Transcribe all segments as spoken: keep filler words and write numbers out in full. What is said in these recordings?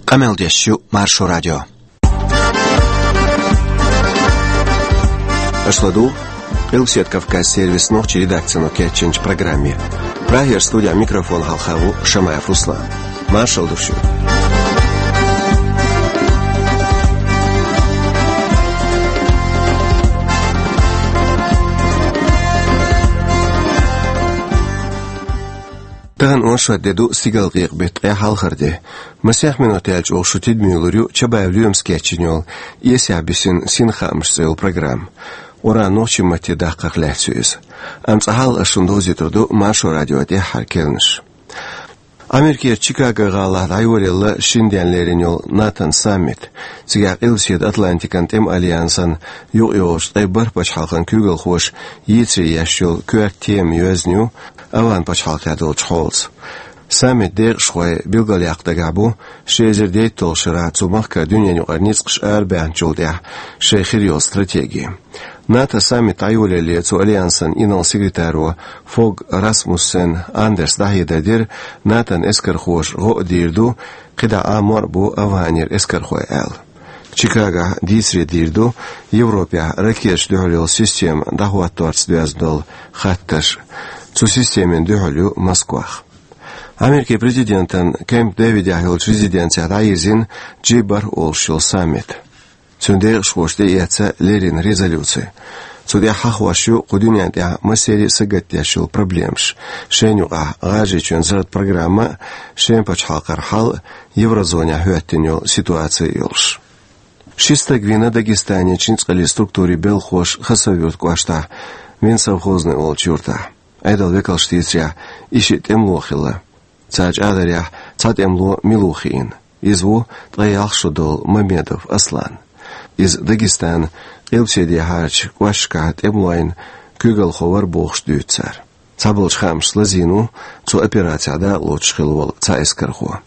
Къамел деш ю Маршо радио. Аша ладугӀу Къилбаседа Кавказ сервисан нохчийн редакцино кечйинчу программе. Прагера студехь микрофон хьалха ву Шамаев Руслан. Маршалла ду шуьга. Тахана оршот де ду, стигалкъекъа беттан ткъе хьалхара де. Масех минот яьлча оха шу тидаме лур ю Чабаев Лоьмас кечйина йолу «Эсехь бисина синхаамаш» цӀе йолу программа. Къуръан нохчийн матте даккхарх лаьцна ю иза. Амма цкъа хьалха ас шуна довзуьйтур ду Маршо радион тӀаьххьара керланаш. Америкерчу Чикаго гӀалахь дӀайолаелла шина денна лерина йолу НАТОн саммит. Цигахь Къилбаседа Атлантикан тӀеман альянсан юкъайогӀучу ткъе бархӀ пачхьалкхан куьйгалхоша йийцаре еш йолу коьрта тема йоьзна ю Овман пачхьалкхехь долчу хьолаца. Саммитан декъашхой билгалъяккха дагахь бу ши эзар дейтталгӀачу шарахь цу махкара дуьненан юкъара ницкъаш арабаьхначул тӀаьхьа шайн хир йолу стратеги. НАТОн саммит дӀайолаяле цу альянсан инарла-секретаро Фог Расмуссен Андерса дӀахьедар дира, НАТОн эскархоша гӀо а дийр ду, кхидӀа а мор а бу Овманера эскархой аьлла. Чикагохь дийцаре дийр ду Европехь ракеташна дуьхьал йолу система дӀахӀотторца доьзна долу хаттарш. Цу системина дуьхьал ю Москвах. Америкин президентан Кемп Дэвидехь йолчу резиденцехь дӀайирзина Джи бархӀ олуш йолу саммит. Цуьнан декъашхоша тӀеэцна леррина резолюци. Цу тӀехь хьахош ю кху дуьнен тӀехь массеран а сагатдеш йолу проблемаш. Шайна юкъахь ГӀажарийчоьнан зарратан программа а, шен пачхьалкхара хьал а, еврозонехь хӀоьттина йолу ситуаци а йолуш. Ши стаг вийна Дагестанерчу ницкъаллин структурийн белхахоша Хасавюрт кӀоштахь, Минсовхозный олучу юьртахь. Ӏедалан векалша дийцарехь, и шиъ тӀемало хилла. Цара чӀагӀдарехь, цхьа тӀемало мила ву хиъна. Иза ву ткъе ялх шо долу Мамедов Аслан. Иза Дагестанан къилбаседехьарчу кӀошташкахь тӀемалойн куьйгалхо вара бохуш дуьйцу цара. Цхьаболчу хаамашца лазийна ву цу операцехь дакъалоцуш хилла волу цхьа эскархо.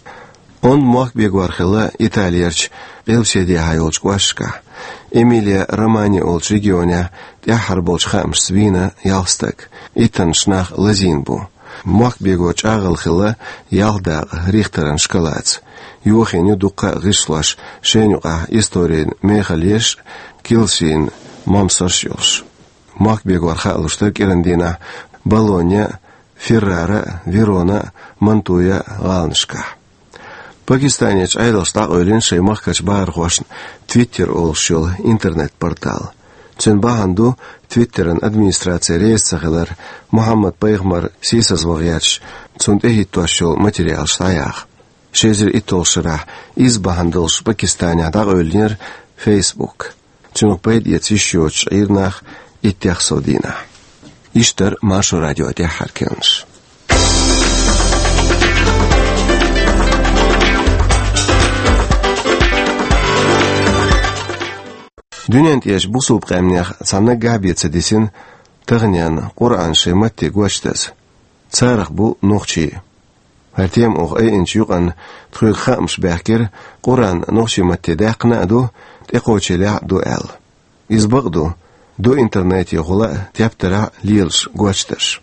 Онда мохк бегор хилла Италерчу къилбаседехьа йолчу кӀошташкахь. Эмилия-Романья олучу регионехь тӀаьххьара болчу хаамашца вийна ялх стаг. Иттаннаш нах лазийна бу. Мохк бегор чӀагӀалла хилла ялх дакъа Рихтеран шкалаца. Йохийна ю дуккха а гӀишлош, шайна юкъахь историн мехаллеш а, килсин момсарш а йолуш. Мохк бегор хаалуш дара кӀиран дийнахь Болонья, Феррара, Верона, Мантуя гӀаланашкахь. Пакистанерчу Ӏедалша дӀакъевлина шайн махкарчу бахархошна Twitter олуш йолу интернет-портал. Цуьнан бахьана ду Твиттеран администраци реза ца хилар, Мухьаммад-пайхамар сийсазван гӀерташ, цунна тӀехӀиттош йолу материалаш дӀаяха. Ши эзар итталгӀачу шарахь иза бахьана долуш Пакистанехь дӀакъевлинера Facebook. Цунах пайда эца йиш йоцуш Ӏийра нах иттех сов дийнахь. Иштта дара Маршо радион тӀаьххьара керланаш. Дуьнен тӀерачу бусалба къаьмнех цхьа наггахь бен ца дисина таханенна Къуръан шайн матте гочдаза. Царах бу нохчий. ХӀара тема оха айинчу юкъанна тхоьга хаамаш баьхкира, Къуръан нохчийн матте даьккхина а ду, тӀекхочийлахь а ду аьлла. Иза бакъ ду, ду интернетехула а, тептарехь а лелаш гочдарш.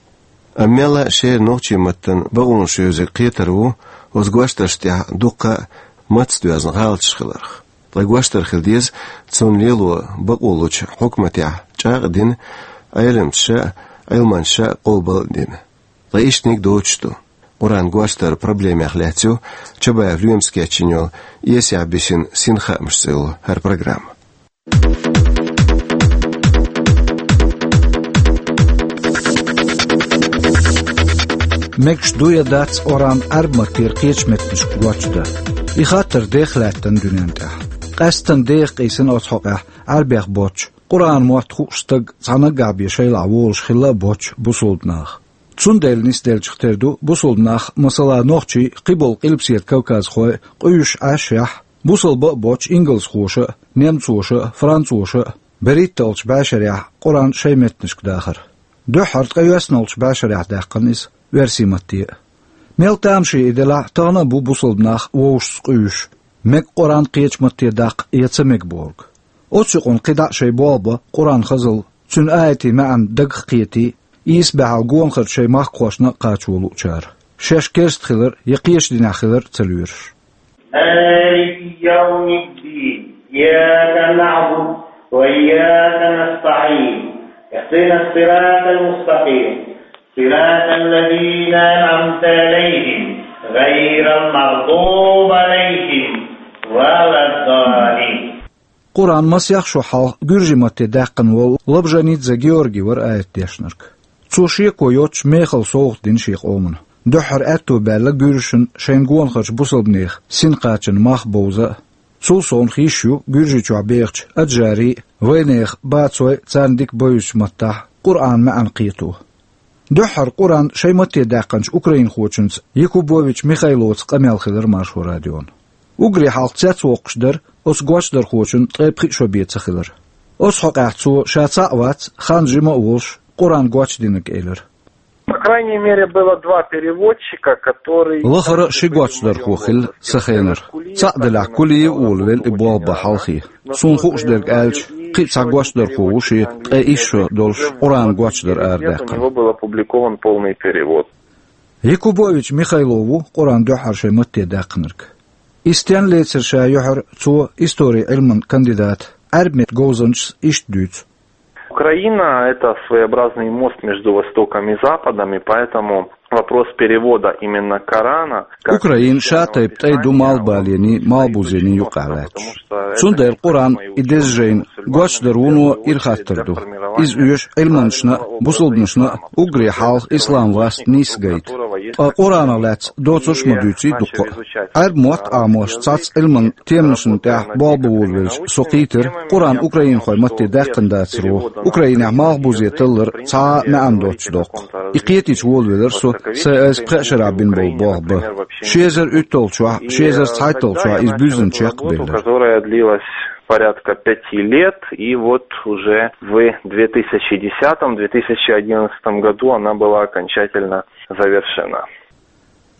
Амма мелла а шера нохчийн маттан бакъонаш йоьзург кхетар ву оцу гочдаршна тӀехь дуккха а маттаца доьзна гӀалаташ хиларх. Ткъа гочдар хила деза цунна лело бакъо лучу хьукматехь чӀагӀ а дина, Ӏеламчаша а, Ӏилманчаша а къобал а дина. Ткъа иштаниг доцуш ду. Къуръан гочдаран проблемех лаьцна ю Чабаев Лоьмас кечйина йолу «Эсехь бисина синхаамаш» цӀе йолу хӀара программа. Мегаш ду я дац Къуръан Ӏаьрбийн маттера кхечу меттанашка гочдан? И хаттар деха лаьттина дуьнен тӀехь. Къаьсттина деха къийсина оцу хьокъехь Ӏаьрбех боцчу, Къуръан мотт хууш стаг цхьа наггахь бен шайлахь волуш хилла а боцчу бусалба наха. Цундела нисделлачух тера ду бусалба нах, масала, нохчий, кхиболу Къилбаседа Кавказхой къуьйсуш Ӏаш а, бусалба а боцчу ингалсхоша а, немцоша а, францоша а, берхӀитталгӀачу бӀешарехь Къуръан шайн меттанашка дахар. Дуьххьара ткъе йоьсналгӀачу бӀешарехь даьккхина иза оьрсийн матте а. Мел тамашийна и делахь а, тахана а бу бусалба нах вовшашца къуьйсуш, мега Къуръан кхечу матте даккха я ца мега бохург. Оцу юкъанна кхидӀа а шайн болх бан Къуръан хазалла, цуьнан аятийн маьӀна дагах кхетий, ийса баьхьалла гонахарчу шайн махкахошна а кхачо луучара, шаьш керста хилар я кхечу динехь хилар а ца лоьруш. مالك يوم الدين. إياك نعبد وإياك نستعين. اهدنا الصراط المستقيم. صراط الذين أنعمت عليهم غير المغضوب عليهم ولا الضالين. Къуръан масех шо хьалха гуьржийн матте даьккхина волу Лабжанидзе Георгий вара аят дешнарг. Цо шеко йоцуш мехала совгӀат дина шен къомана. Дуьххьара аьтто баьлла гуьржашна шайна гонахарчу бусалбанех син кхачанна мах бовза а. Цул совнаха йиш ю Гуьржийчохь бехачу аджарийн а, вайнехан а бацойн а царна дика бевзачу маттахь Къуръанан маьӀна кхето. Дуьххьара Къуръан шайн матте даьккхинчу украинхочуьнца Якубович Михайлоца къамел хилира Маршо радион. Уггаре хьалха цецвоккхуш дара оцу гочдархочун ткъе пхи шо бен ца хилар. Оцу хьокъехь цо ша цхьаъ вац, хан жима а волуш, Къуръан гочдинарг элира. По крайней мере, было два переводчика, которые... Лахара ши гочдархо хилла сан хенара. Цхьаъ делахь, Кулиев Оливер и болх бан хьалхе. Суна хууш дерг аьлча, кхин а цхьа гочдархо ву шен ткъе исс шо долуш Къуръан гочдар арадаьккхина. У него был опубликован полный перевод. Якубович Михайло ву Къуръан дуьххьара шайн матте даьккхинарг. И стенна лецира ша юьхьар цо, историн Ӏилман кандидата, Ӏаьрбийн меттан говзанчас иштта дуьйцу. Украина — это своеобразный мост между Востоком и Западом, и поэтому вопрос перевода именно Корана, как... Украина ша тайпа тӀай ду малхбалений, малхбузений юкъахь лаьтташ. Цундела Къуръан и деза жайна гочдар вуно ира хаттар ду. Иза оьшу Ӏилманчашна а, бусалбанашна а, уггаре хьалха ислам васт нийса гайта. Ткъа Къуръанах лаьцна доцурш а ма дуьйций дуккха а. Ӏаьрбийн мотт Ӏамош цхьацца Ӏилман теманашна тӀехь болх бан волавелча со кхийтира, Къуръан украинхойн матте даьккхина дацаро, Украинехь малхбузе таллар цхьа а маьӀна доцуш доккху. И кхетийча волавелира со, сайн айса пхеа шарахь бина болу болх бан. Ши эзар уьтталгӀачохь, ши эзар цхьайтталгӀачохь иза буьззина чекхбеллера. Которая длилась порядка пяти лет, и вот уже в две тысячи десятом, две тысячи одиннадцатом году она была окончательно завершена.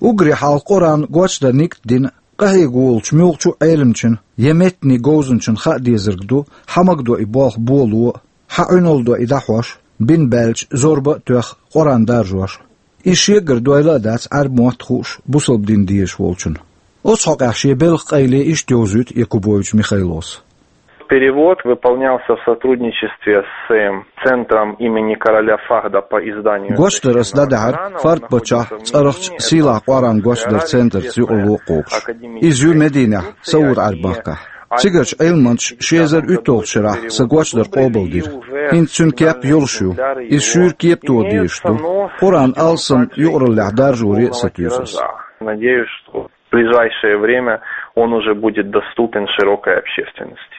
Уггаре хьалха Къуръан гочдар нигат дина къахьега волчу муьлххачу а Ӏеламчун я меттанийн говзанчун хаа дезарг ду, хьан магадо и болх боло а, хьан Ӏуьналла до и дӀахьош а, бина баьлча зорба а тоьхна Къуръан даржош а. Иза шегара дойла а дац Ӏаьрбийн мотт хууш, бусалба дин дезаш волчунна. Оцу хьокъехь шен белхан къайле иштта йовзуьйту Якубович Михайлос. Перевод выполнялся в сотрудничестве с, э, центром имени короля Фахда по изданию... Гочдар ас дӀадахьара Фахд-паччахьан цӀарахчу сийлахь Къуръан гочдаран центрца юкъаралла а кхобуш. Иза ю Мединехь, Сауд-Ӏаьрбийн махкахь. Цигарчу Ӏилманчаша ши эзар уьтталгӀачу шарахь сан гочдар къобалдира. ХӀинца цуьнан кеп йолуш ю. Иза шуьйра кепато дезаш ду. Къуръан алсам юкъараллехь даржоре а сатуьйсу ас. Надеюсь, что в ближайшее время он уже будет доступен широкой общественности.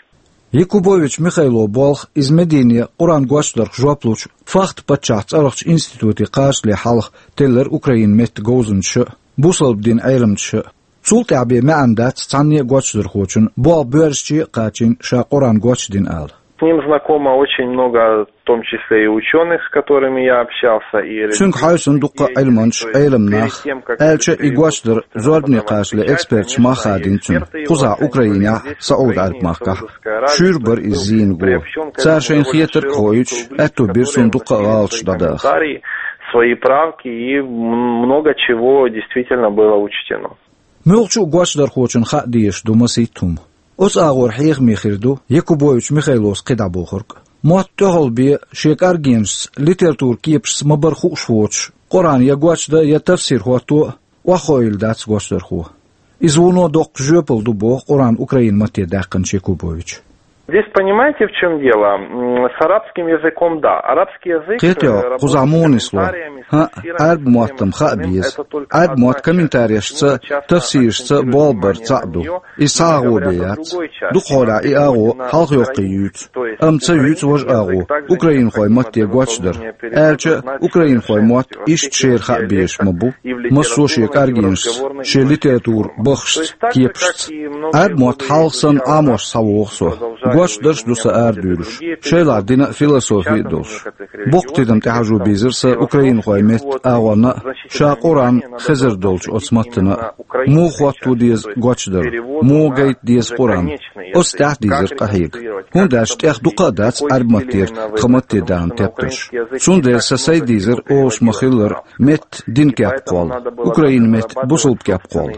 Якубович Михайлон болх иза Медине Къуръан гочдарх жоп лучу Фахд-паччахьан цӀарахчу институте кхачале хьалха теллира Украинан меттан говзанчаша а, бусалба динан Ӏеламчаша а. Цул тӀаьхьа бен маьӀна дац цхьанне а гочдархочун болх боьршаче а кхачийна ша Къуръан гочдина ала. С ним знакомы очень много, в том числе и учёных, с которыми я общался, и... Цуьнга хьаьвсина дуккха а Ӏилманчаш, Ӏеламнах, аьлча а и гочдар зорбане кхачале эксперташа мах а хадийна цуьнан, кхузахь Украинехь а, Сауд-Ӏаьрбийн махкахь а. Шуьйра бара иза зийна го. Цара шайна хетарг а хоуьйтуш, аьтто бира суна дуккха а гӀалаташ дӀадаха. Свои правки, и м-, много чего действительно было учтено. Муьлххачу а гочдархочун хаа дезаш ду масийтта хӀума. Оцу агӀор хьехаме хир ду Якубович Михайлос кхидӀа бохург а. Мотт тӀехула бен шен кӀаргенашца, литературан кепашца ма-барра хууш воцуш, Къуръан я гочдан, я тафсир хӀотто а охьахоуьйтур дац гочдархо. Иза вуно доккха жоьпалла ду боху Къуръан украин матте даьккхинчу Якубовича. Здесь понимаете, в чём дело? М, с арабским языком, да. Арабский язык, э, работает с комментариями, с тафсирами, с... Кхетий хьо, кхузахь муха ду? ХӀаъ, Ӏаьрбийн мотт-м хаа беза. Ӏаьрбийн мотт комментарийшца, тафсирашца болх бар цхьаъ ду. Иза цхьа агӀо бен яц. Дукха хьолахь и агӀо хьалхайоккхий юьйцу. Амма ца юьйцу важа агӀо, украинхойн матте гочдар. Аьлча а, украинхойн мотт иштта шера хаа безаш ма бу, массо а шен кӀаргенашца, шен литературан бахашца, кепашца. Ӏаьрбийн мотт хьалха санна Ӏамош схьавогӀу со. Гочдарш ду са арадуьйлуш, шайлахь дина а, философи а долуш. Боккха тидам тӀехьажо бийзира сан украинхойн меттан агӀонна а, ша Къуръан хезар долчу оцу маттана а. Муха хӀотто деза гочдар, муха гайта деза Къуръан? Оцу тӀехь дийзира къахьега. ХӀунда аьлча тӀех дукха а дац Ӏаьрбийн маттера тхан матте дахана тептарш. Цундела сан сайга дийзира олуш ма-хиллара, меттан динан кеп кхолла, Украинан меттан бусалба кеп кхолла.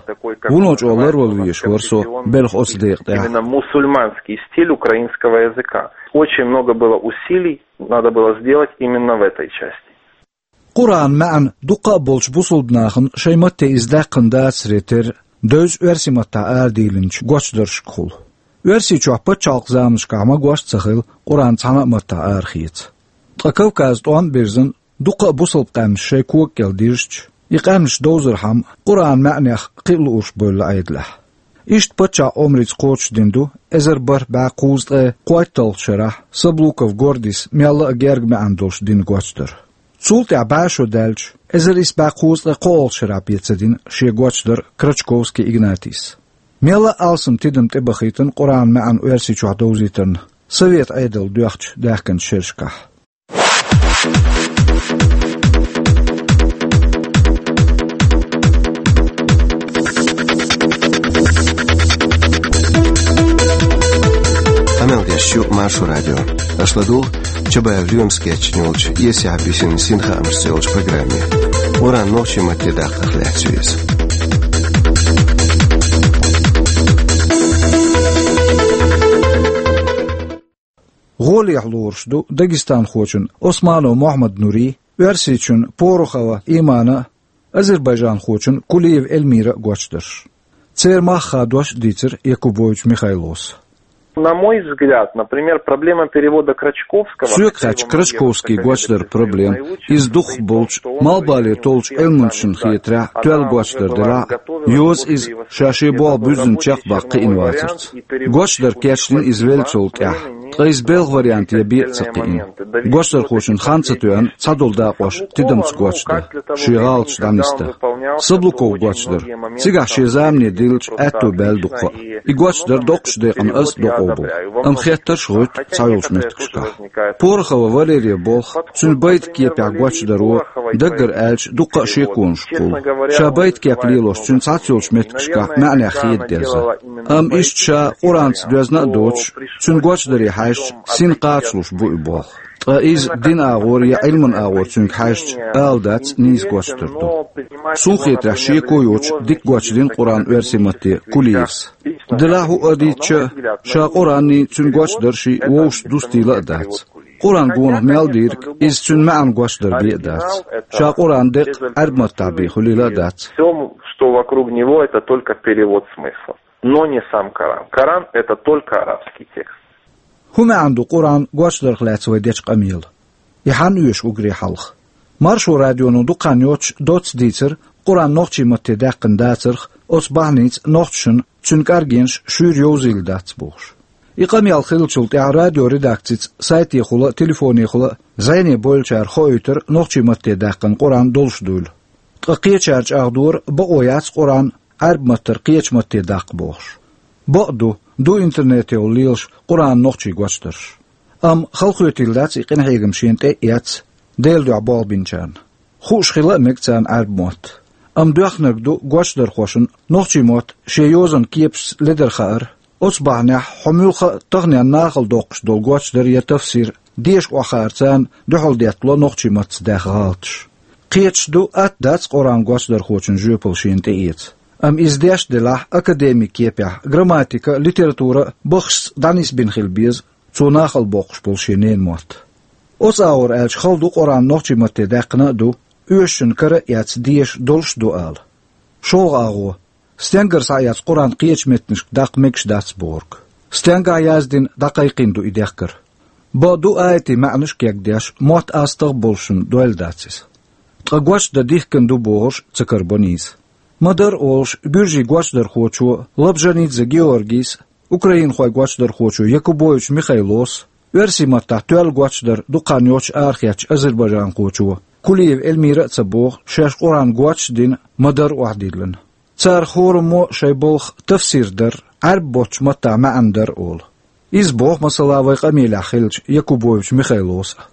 Вуно чӀогӀа ларвала везаш вара со белхан оцу декъа тӀехь. Именно мусульманский стиль украинского языка. Очень много было усилий, надо было сделать именно в этой части. Къуръанан маьӀна дукха а болчу бусалба нахана шайн матте иза даьккхина дацаре терра, девза оьрсийн маттахь арадийлинчу гочдаршкахула. Оьрсийчохь пачхьалкхан заманашкахь магош а ца хилла, Къуръан цхьана а маттахь арахеца. Ткъа Кавказан тӀом а бирзина, дукха а бусалба къаьмнаш шайн кога кӀел дирзича, и къаьмнаш довзархьама, Къуръанан маьӀнех кхин а луурш бевлла Ӏедалехь. Иштта паччахьан омрица кхочушдина ду эзар бархӀ бӀе кхузткъе кхойтталгӀачу шарахь Саблуков Гордис мелла а герга маьӀна долуш дина гочдар. Цул тӀаьхьа бӀе шо даьлча, эзар исс бӀе кхузткъе кхоалгӀачу шарахь бен ца дина шен гочдар Крачковский Игнатис. Мелла а алсам тидам тӀебахийтина Къуръанан маьӀна оьрсийчохь довзийтарна Совет Ӏедал доьхначу даьхкинчу шерашкахь. Къамел деш ю Маршо радио. Аша ладугӀу Чабаев Лоьмас кечйина йолчу «Эсехь бисина синхаамашца» йолчу программе. Къуръан нохчийн матте даккхарх лаьцна ю иза. ГӀолехь лоруш ду дагестанхочун Османов Мохьмад-Нурин, оьрсичун Порохова Иманан а, азербайджанхочун Кулиева Эльмиран а гочдарш. Церан мах хадош а дийцира Якубович Михайлос. На мой взгляд, например, проблема перевода Крачковского... Соьга хаьттича, Крачковский гочдар проблема, иза дукхахболчу малхбале толлучу Ӏилманчашна хетарехь, тоьлла гочдар делахь а, йоза иза ша шен болх буьззина чекхбаккха кхиъна вацарца. Гочдар кечдина иза веллачул тӀаьхьа, ткъа иза белхан варианте бен а ца кхиъна. Гочдархочун хан ца тоьъна цхьадолу дакъош тидамца гочдан, шен гӀалаташ дӀанисдан. Саблуковн гочдар, цигахь шен замане диллича аьтто баьлла дукха а. И гочдар доккхачу декъана аз а докъо бу. Амма хеттарш а гӀуьтту цхьайолчу меттигашкахь. Порохова Валерин болх, цуьнан байтан кепехь гочдаро, даггара аьлча, дуккха а шеконашкахула. Ша байтан кеп лелош цуьнан цхьаццайолчу меттигашкахь маьӀнех хеда деза. Амма иштта ша Къуръанца доьзна а доцуш, цуьнан гочдаре хьаьжча, сина кхачалуш бу и болх. Ткъа иза динан агӀор я Ӏилманан агӀор цуьнга хьаьжча, ала дац, нийса гочдар ду. Суна хетарехь, шеко йоцуш дика гочдина Къуръан оьрсийн матте Кулиевс. Делахь хӀуъа а дийцича, ша Къуръанний, цуьнан гочдарший вовшашца дустийла а дац. Къуръан гонах мел дийриг, иза цуьнан маьӀна гочдар бен а дац. Ша Къуръан декъ Ӏаьрбийн маттахь бен хуьлийла а дац. Всё, что вокруг него, это только перевод смысла, но не сам Коран. Коран — это только арабский текст. ХӀун маьӀна ду Къуръан гочдарх лаьцна вай дечу къамелан? И хьанна оьшу уггаре хьалха? Маршо радионо дукха хан йоццуш доцца дийцира Къуръан нохчийн матте даьккхина дацарх, оцу бахьаница нохчашна цуьнан кӀаргенаш шуьйра йовзийла дац бохуш. И къамел хиллачул тӀаьхьа радиоредакцица сайтехула а, телефонехула а зӀене бовлучара хоуьйтура нохчийн матте даьккхина Къуръан долуш дуйла. Ткъа кхечара чӀагӀдора, бакъо яц Къуръан Ӏаьрбийн маттара кхечу матте даккха бохуш. Бакъ ду, ду интернетехула лелаш Къуръанан нохчийн гочдарш. Амма халахетийла дац и къинхьегам шена тӀе а эцна, Делан дуьхьа болх бинчарна. Хууш хила а мега царна Ӏаьрбийн мотт. Амма доьхнарг ду гочдархошна нохчийн мотт шен йозанан кепашца ледара хаар, оцу бахьанехь хьо муьлхха а таханенна нахала доккхуш долу гочдар я тафсир деша охьахаар царна дуьхьал деттало нохчийн маттаца даьхна гӀалаташ. Кхеташ ду, атта дац Къуръан гочдархочун жоьпалла шена тӀеэца. Амма иза деш а делахь, академик кепехь, грамматика а, литература а баххашца дӀанисбина хила беза цо нахала боккхуш болу шен ненан мотт. Оцу агӀор аьлча, хала ду Къуръан нохчийн матте даьккхина а ду, оьшучун кара а эцна деша долуш а ду ала. ШолгӀа агӀо: стенгара схьаэцна Къуръан кхечу меттанашка даккха мегаш дац бохург. Стенгахь яздина, дӀакхайкхийна ду и дехкар. Бакъ ду, аятийн маьӀнаш а кегдеш, мотт астагӀа а болушшехь дойла дац иза. Ткъа гочдан дихкина ду бохурш ца карабо нийса. Ма-дарра олуш, гуьржийн гочдархочо Лабжанидзе Георгийс а, украинхойн гочдархочо Якубович Михайлос а, оьрсийн маттахь тоьлла гочдар дукха хан йоццуш арахецначу азербайджанхочо Кулиева Эльмира а ца боху, шаьш Къуръан гочдина, ма-дарра охьадиллина. Царах хӀораммо шайн балха тафсир дар, Ӏаьрбийн боцчу маттахь маьӀна дар олу. Иза боху, масала, вайн къамелехь хиллачу Якубович Михайлос а.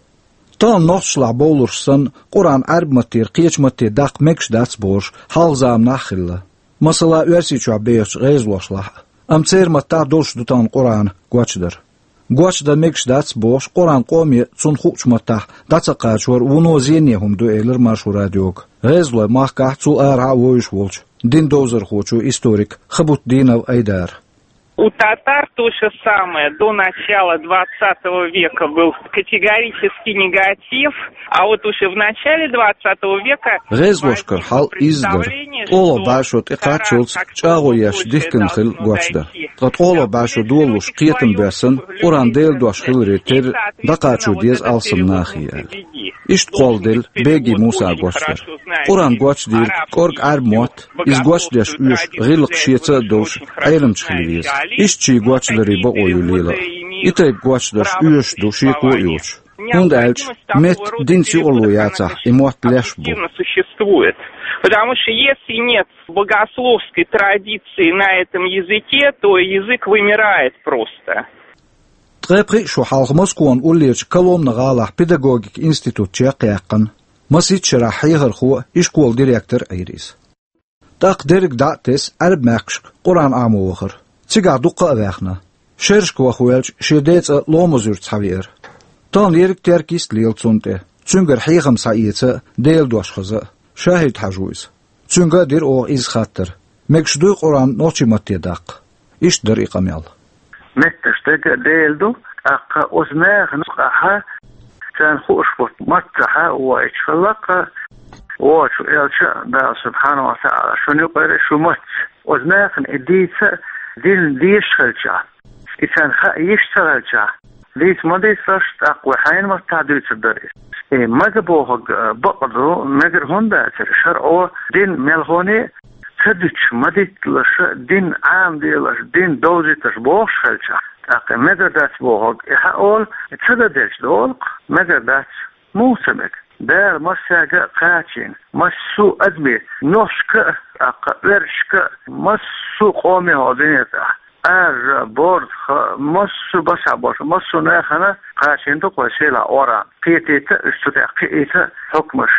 Тахана нохчашлахь бовлурш санна, Къуръан Ӏаьрбийн маттера кхечу матте даккха мегаш дац бохуш, хьалха заманахь а хилла. Масала, Оьрсийчохь бехачу гӀезалошлахь а. Амма церан маттахь а долуш ду тахана Къуръан гочдар. Гочдан мегаш дац бохуш, Къуръан къоме цунна хуучу маттахь дӀа ца кхачор вуно зене хӀума ду, элира Маршо радиога гӀезалойн махкахь а, цул арахьа а вовзуш волчу динан довзархочо, историка Хабутдинов Айдара. У татар то же самое. До начала двадцатого века был категорический негатив, а вот уже в начале двадцатого века... ГӀезалошкара хьал изза дара. ТӀогӀа бӀешо тӀекхаччалц чӀагӀо еш дихкина хилла гочдар. Ткъа тӀогӀа бӀешо долалуш кхетам боьссина, Къуръан Делан дош хиларе терра дӀакхачо деза алсам нахе аьлла. Иштта кхолладелла Беги Мусан гочдар. Къуръан гочдийриг кӀорга Ӏаьрбийн мотт, иза гочдеш оьшу гӀиллакх шеца а долуш, Ӏеламча хила веза. Иштта шен гочдарийн бакъо ю лела а. И тайпа гочдарш оьшуш ду шеко а йоцуш. ХӀунда аьлча метта динца юкъарло яцахь, и мотт леш бу. Существует. Потому что если нет богословской традиции на этом языке, то язык вымирает просто. Ткъе пхиъ шо хьалха Москван уллерчу Коломна гӀалахь педагогикан институт чекхъяьккхина. Масийтта шарахь хьехархо а, ишколан директор а Ӏийра иза. ТӀаккха дерриг дӀа а тесна, Ӏаьрбийн мехкашка Къуръан Ӏамо вахара. Цигахь дуккха а ваьхна. Шерашка ваха ваьлча, шен деца Ломаз-Юьрта схьавеара. Тахана ерриг а теркйист а лела цунна тӀе. Цуьнгара хьехам схьаэца а, Делан дош хаза а. Шахид-Хьаьжа ву иза. Цуьнга а дира оха изза хаттар: мегаш дуй Къуръан нохчийн матте даккха? Иштта дара и къамел. Меттанаш дерг а Делан ду, тӀаккха оцу нахана юкъахь царна хууш болчу маттахь а воуьйтуш хилла-кх, вочу элча а, Дала субхьанаху ва таӀала шуна юкъара шу мац. Оцу нахана и дийца а, дин дезаш хилчахь, и царна хаа йиш ца хилчахь, дийца ма дийцалаш, тӀаккха вай хьайна маттахь дуьйцур дара иза. И мага бохург, э, бакъ ду, мегар хӀунда дацара, шарӀо дин мелхоне а ца дуьтуш, ма дитталаш, дин Ӏамаделаш, дин довзийташ бохуш хилчахь, тӀаккха и мегар дац бохург, и хьан олу, и ца дан делча долу-кх, мегар дац. Муха ца мега? Дала массаьрга а кхачийна, массо а адаме, нохчашка а, тӀаккха оьрсашка а, массо а къоме хӀокху дуьнен тӀехь, Ӏаьржа, борза, массо а башхьа болуш, массо а нахана кхачийна ду-кх вайн сийлахь Къуръан. Кхетийта а, уьш цу тӀехь кхиийта а, хьукмаш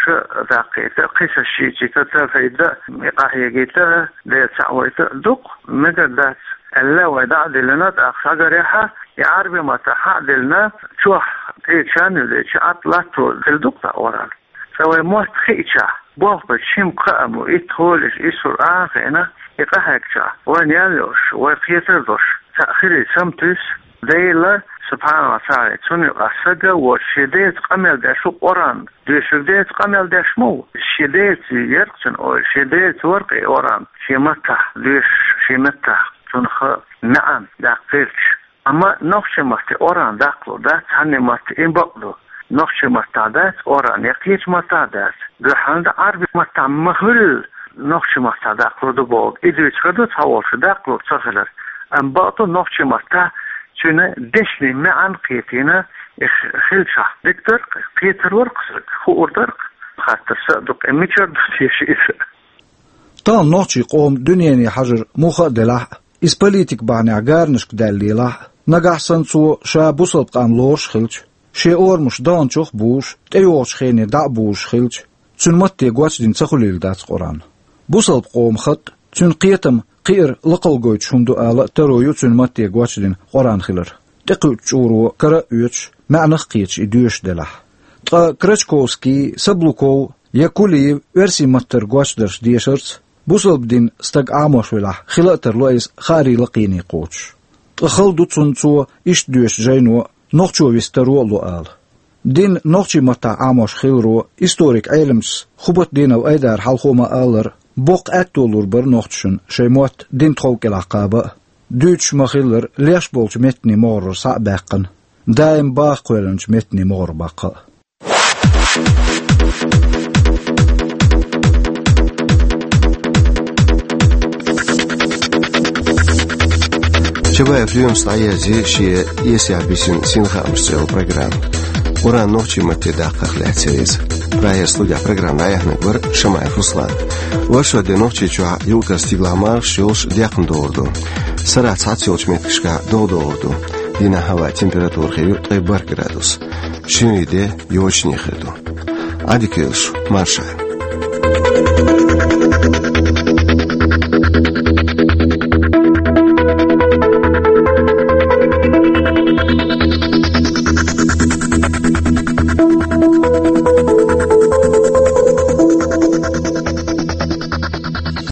даккхийта а, кхин цхьа шичийта а, тавхьид а, и къахьегийта а, Дела цхьаъ вайта а ду-кх, мегар дац аьлла, вай дӀа а диллина, тӀаккха схьагарехь а, и Ӏаьрбийн маттахь а диллина, чохь тӀе чан а юьллича, Ӏад латто хилла ду-кх тхан Къуръан. Цкъа вайн мотт хиъчахь, болх бечу шимма кхаам бу, итт хьолаш, исс хьур а хиъна, и къахьегчахь, вайна ял йолуш, вай кхетар долуш, цхьаъ хилийта саматуьйсу. Дела, субхьанаху ва таӀала, цунна юкъахь стаг а воцуш, шен деца къамел деш ву Къуръан. Доьшург деца къамел деш ма ву. Шен деца яра-кх цуьнан ойла, шен деца вара-кх и Къуръан, шен маттахь доьшуш, шен меттахь цунах маьӀна даккха хилча. Амма нохчийн матте Къуръан даккхалур дац, цхьанне матте, и бакъ ду. Нохчийн маттахь дац Къуръан, я кхечу маттахь дац. Дуьххьал дан Ӏаьрбийн маттахь ма хуьллу, нохчийн маттахь даккхалур ду бохург. И дуьйцур ду цхьаволчо, даккхалур ца хилар. Амма бакъ ду, нохчийн маттахь цуьнан дешнийн маьӀна кхетийна, и хилчахь, дика дара-кх, кхетар вара-кх стаг, хуур дара-кх. Хаттар сан а ду-кх, и мичара ду теша иза? Тахана нохчийн къоман дуьнене хьажар муха а делахь а, иза политикан бахьанехь гаранашка даьлла лелахь а, нагахь санна цо ша бусалба къам лоруш хилча, шен орамаш даханчух а бузуш, тӀейогӀучу хене дӀа а бузуш хилча, цуьнан матте гочдина ца хуьлийла дац Къуръан. Бусалба къоман хатӀ, цуьнан кхетам кхиар лакхалла гойтуш хӀума ду ала а таро ю цуьнан матте гочдина Къуръан хилар. ТӀекхуьучу чкъуро кара а оьцуш, маьӀнах а кхеташ и доьшуш делахь. Ткъа Крачковский, Саблуков я Кулиев оьрсийн маттара гочдарш дешарца, бусалба дин стаг Ӏамош велахь, хила а тарло иза хаарийн лакхене кхочуш. Ткъа хала ду цунна цо иштта доьшу жайно нохчо вист таро а ло ала. Дин нохчийн маттахь Ӏамош хиларо, историк-Ӏеламчас Хубатдинов Айдара хьалхо ма-аллара, боккха аьтто лур бара нохчашна шайн мотт динан тхов кӀелахь кхаба а. Дуьйцуш ма-хиллара, леш болчу меттанийн могӀарера схьа а баьккхина, даим баха кхоьллинчу меттанийн могӀарера баккха а. Чабаев Лоьмас дӀаерзийра шен «Эсехь бисина синхаамаш» цӀе йолу программа. Къуръан нохчийн матте даккхарх лаьцна иза. Прагера студехь программа дӀаяьхьнарг вара Шамаев Руслан. Оршот де Нохчийчохь юкъара стигалахь мархаш йолуш декхна догӀур ду. Сарахь цхьацца йолчу меттигашкахь догӀа догӀур ду. Дийнахьа гӀаваьн температура хир ю ткъе бархӀ градус. Шин де йочане хир ду. Ӏадика йойла шун, марша.